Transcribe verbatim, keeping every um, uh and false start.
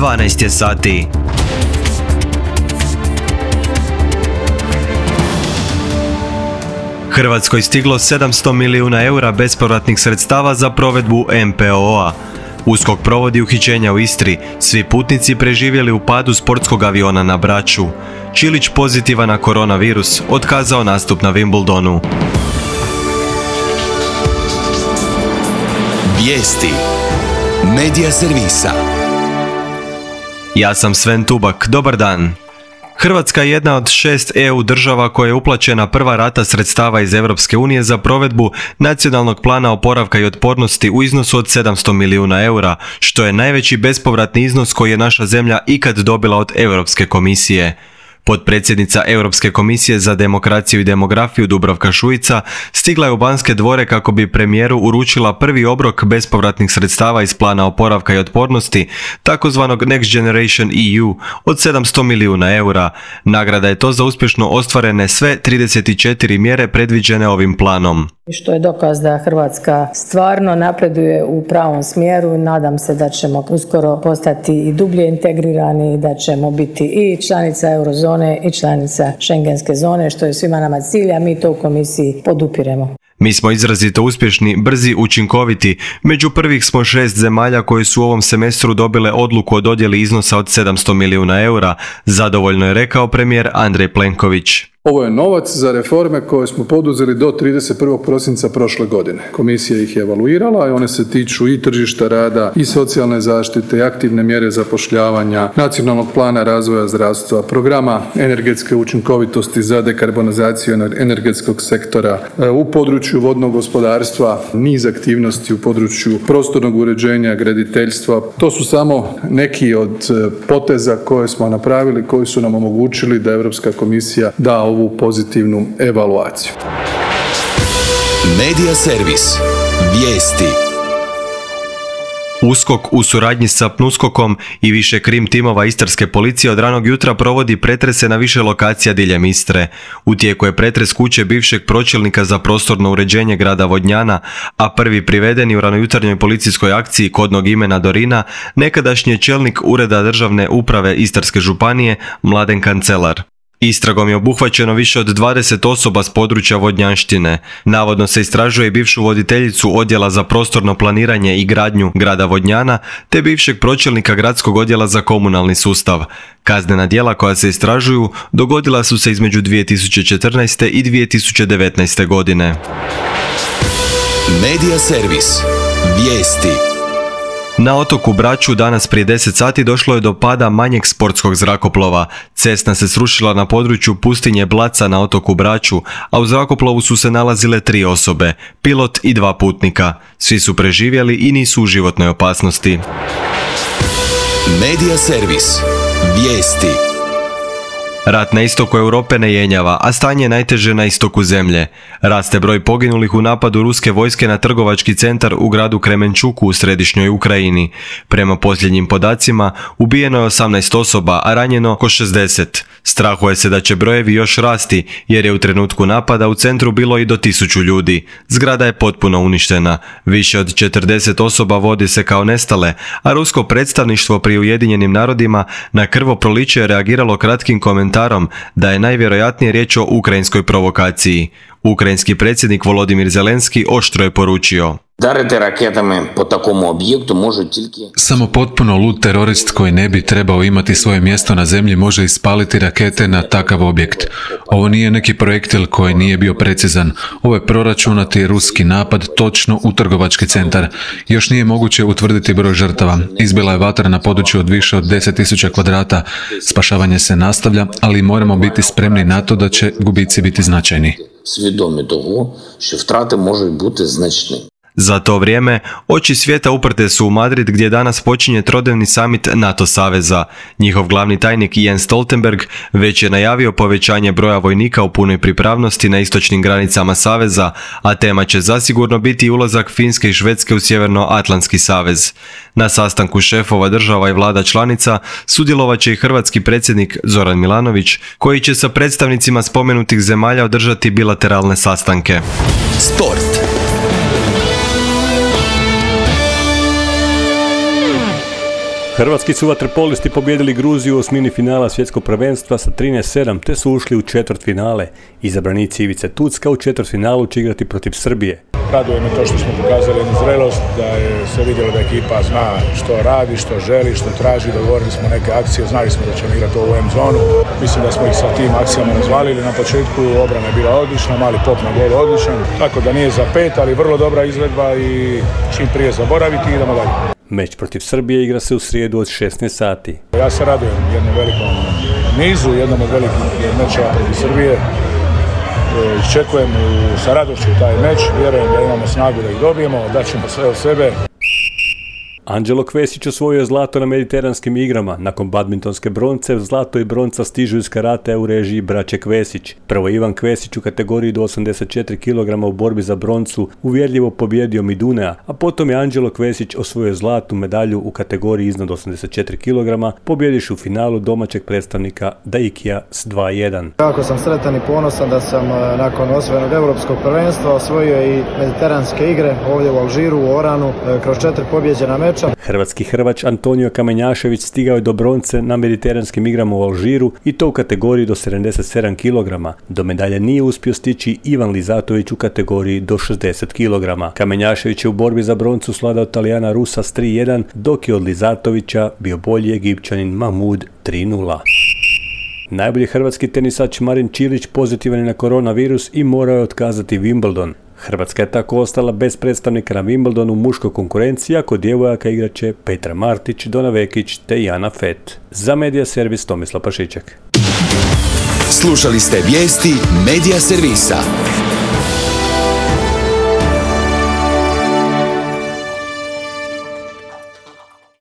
dvanaest je sati. Hrvatskoj stiglo sedamsto milijuna eura bespovratnih sredstava za provedbu M P O A. USKOK provodi uhićenja u Istri, svi putnici preživjeli u padu sportskog aviona na Braču. Čilić pozitivan na koronavirus, otkazao nastup na Wimbledonu. Vijesti Medija servisa. Ja sam Sven Tubak, dobar dan. Hrvatska je jedna od šest E U država koja je uplaćena prva rata sredstava iz Europske unije za provedbu Nacionalnog plana oporavka i otpornosti u iznosu od sedamsto milijuna eura, što je najveći bespovratni iznos koji je naša zemlja ikad dobila od Europske komisije. Potpredsjednica Europske komisije za demokraciju i demografiju Dubravka Šuica stigla je u Banske dvore kako bi premijeru uručila prvi obrok bespovratnih sredstava iz plana oporavka i otpornosti, takozvanog Next Generation E U, od sedamsto milijuna eura. Nagrada je to za uspješno ostvarene sve trideset četiri mjere predviđene ovim planom. Što je dokaz da Hrvatska stvarno napreduje u pravom smjeru. Nadam se da ćemo uskoro postati i dublje integrirani i da ćemo biti i članica eurozone i članica šengenske zone, što je svima nama cilj, a mi to u komisiji podupiremo. Mi smo izrazito uspješni, brzi, učinkoviti. Među prvih smo šest zemalja koje su u ovom semestru dobile odluku o dodjeli iznosa od sedamsto milijuna eura, zadovoljno je rekao premijer Andrej Plenković. Ovo je novac za reforme koje smo poduzeli do trideset prvog prosinca prošle godine. Komisija ih je evaluirala i one se tiču i tržišta rada, i socijalne zaštite, i aktivne mjere zapošljavanja, nacionalnog plana razvoja zdravstva, programa energetske učinkovitosti za dekarbonizaciju energetskog sektora, u području vodnog gospodarstva, niz aktivnosti u području prostornog uređenja, graditeljstva. To su samo neki od poteza koje smo napravili, koji su nam omogućili da Europska komisija da ovu pozitivnu evaluaciju. Medija servis. Vijesti. USKOK u suradnji sa PNUSKOK-om i više krim timova istarske policije od ranog jutra provodi pretrese na više lokacija diljem Istre. U tijeku je pretres kuće bivšeg pročelnika za prostorno uređenje grada Vodnjana, a prvi privedeni u ranojutarnjoj policijskoj akciji kodnog imena Dorina, nekadašnji je čelnik Ureda državne uprave Istarske županije Mladen Kancelar. Istragom je obuhvaćeno više od dvadeset osoba s područja Vodnjanštine. Navodno se istražuje i bivšu voditeljicu odjela za prostorno planiranje i gradnju grada Vodnjana, te bivšeg pročelnika gradskog odjela za komunalni sustav. Kaznena djela koja se istražuju dogodila su se između dvije tisuće četrnaeste i dvije tisuće devetnaeste godine. Medija servis. Vijesti. Na otoku Braču danas prije deset sati došlo je do pada manjeg sportskog zrakoplova. Cessna se srušila na području pustinje Blaca na otoku Braču, a u zrakoplovu su se nalazile tri osobe, pilot i dva putnika. Svi su preživjeli i nisu u životnoj opasnosti. Medija servis. Vijesti. Rat na istoku Europe ne jenjava, a stanje je najteže na istoku zemlje. Raste broj poginulih u napadu ruske vojske na trgovački centar u gradu Kremenčuku u središnjoj Ukrajini. Prema posljednjim podacima, ubijeno je osamnaest osoba, a ranjeno oko šezdeset. Strahuje se da će brojevi još rasti, jer je u trenutku napada u centru bilo i do tisuću ljudi. Zgrada je potpuno uništena. Više od četrdeset osoba vodi se kao nestale, a rusko predstavništvo pri Ujedinjenim narodima na krvoproliće je reagiralo kratkim komentarom da je najvjerojatnije riječ o ukrajinskoj provokaciji. Ukrajinski predsjednik Volodimir Zelenski oštro je poručio: Дарити ракетами по такому об'єкту можуть тільки... Samo potpuno lud terorist koji ne bi trebao imati svoje mjesto na zemlji može ispaliti rakete na takav objekt. Ovo nije neki projektil koji nije bio precizan. Ovo je proračunati ruski napad točno u trgovački centar. Još nije moguće utvrditi broj žrtava. Izbila je vatra na području od više od deset tisuća kvadrata. Spašavanje se nastavlja, ali moramo biti spremni na to da će gubici biti značajni. Свідомі того, що втрати можуть бути значні. Za to vrijeme, oči svijeta uprte su u Madrid gdje danas počinje trodnevni samit NATO saveza. Njihov glavni tajnik Jens Stoltenberg već je najavio povećanje broja vojnika u punoj pripravnosti na istočnim granicama saveza, a tema će zasigurno biti ulazak Finske i Švedske u Sjevernoatlantski savez. Na sastanku šefova država i vlada članica sudjelovat će i hrvatski predsjednik Zoran Milanović, koji će sa predstavnicima spomenutih zemalja održati bilateralne sastanke. Sport. Hrvatski su vaterpolisti pobijedili Gruziju u osmini finala svjetskog prvenstva sa trinaest sedam te su ušli u četvrtfinale. Izabranici Ivice Tucka u četvrtfinalu će igrati protiv Srbije. Raduje me to što smo pokazali jednu zrelost, da je se vidjelo da ekipa zna što radi, što želi, što traži, dogovorili smo neke akcije, znali smo da ćemo igrati ovu M-zonu. Mislim da smo ih sa tim akcijama razvalili. Na početku obrana je bila odlična, mali pop na gol odličan, tako da nije za pet, ali vrlo dobra izvedba i čim prije zaboraviti i idemo dalje. Meč protiv Srbije igra se u srijedu od šesnaest sati. Ja se radujem jednom velikom nizu, jednom od velikih mečeva protiv Srbije. Iščekujem sa radošću taj meč, vjerujem da imamo snagu da ih dobijemo, daćemo sve od sebe. Anđelo Kvesić osvojio zlato na mediteranskim igrama. Nakon badmintonske bronce, zlato i bronca stižu iz karatea u režiji braće Kvesić. Prvo Ivan Kvesić u kategoriji do osamdeset četiri kilograma u borbi za broncu uvjerljivo pobjedio Midunea, a potom je Anđelo Kvesić osvojio zlatnu medalju u kategoriji iznad osamdeset četiri kilograma, pobjediš u finalu domaćeg predstavnika Daikija s dva jedan. Kako sam sretan i ponosan da sam nakon osvojenog europskog prvenstva osvojio i mediteranske igre ovdje u Alžiru, u Oranu, kroz četiri pobjeđena meča. Hrvatski Hrvač Antonio Kamenjašević stigao je do bronce na mediteranskim igrama u Alžiru i to u kategoriji do sedamdeset sedam kilograma. Do medalje nije uspio stići Ivan Lizatović u kategoriji do šezdeset kilograma. Kamenjašević je u borbi za broncu svladao Talijana Rusa s tri jedan, dok je od Lizatovića bio bolji Egipćanin Mahmud tri nula. Najbolji hrvatski tenisač Marin Čilić pozitivan je na koronavirus i morao je otkazati Wimbledon. Hrvatska je tako ostala bez predstavnika na Wimbledonu u muškoj konkurenciji, a kod djevojaka igraće Petra Martić, Dona Vekić te Jana Fett. Za Medija Servis Tomislav Pašiček. Slušali ste vijesti Medija Servisa.